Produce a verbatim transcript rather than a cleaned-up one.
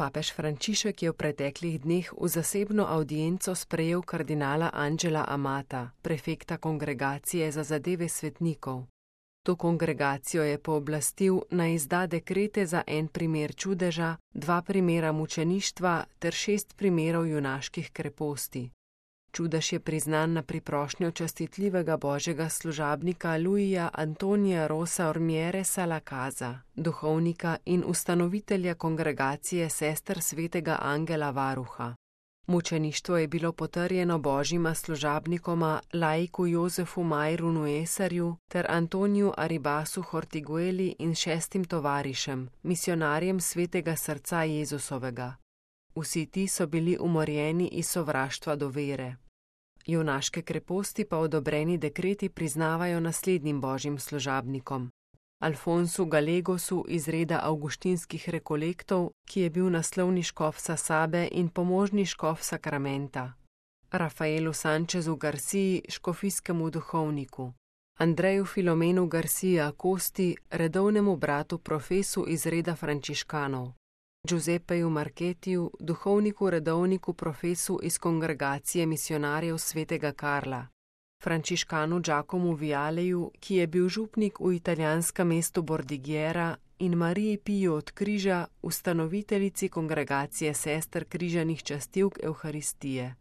Papež Frančišek je v preteklih dneh v zasebno avdienco sprejel kardinala Angela Amata, prefekta Kongregacije za zadeve svetnikov. To kongregacijo je pooblastil, naj izda dekrete za en primer čudeža, dva primera mučeništva ter šest primerov junaških kreposti. Čudež je priznan na priprošnjo častitljivega božjega služabnika Luija Antonija Rosa Ormieresa Lacaza, duhovnika in ustanovitelja kongregacije sester svetega Angela Varuha. Mučeništvo je bilo potrjeno božjima služabnikoma laiku Jozefu Majru Nuesarju ter Antoniju Aribasu Hortigueli in šestim tovarišem, misionarjem svetega srca Jezusovega. Vsi ti so bili umorjeni iz sovraštva do vere. Junaške kreposti pa odobreni dekreti priznavajo naslednjim božjim služabnikom: Alfonsu Galegosu iz reda avguštinskih rekolektov, ki je bil naslovni škof Sasabe in pomožni škof Sakramenta; Rafaelu Sančezu Garciji, škofijskemu duhovniku; Andreju Filomenu Garcia Costi, redovnemu bratu profesu iz reda frančiškanov; Giuseppeju Marketiju, duhovniku redovniku profesu iz kongregacije misionarjev svetega Karla; frančiškanu Giacomu Vialeju, ki je bil župnik v italijanskem mestu Bordighera, in Mariji Piju od Križa, ustanoviteljici kongregacije sester križanih častilk Evharistije.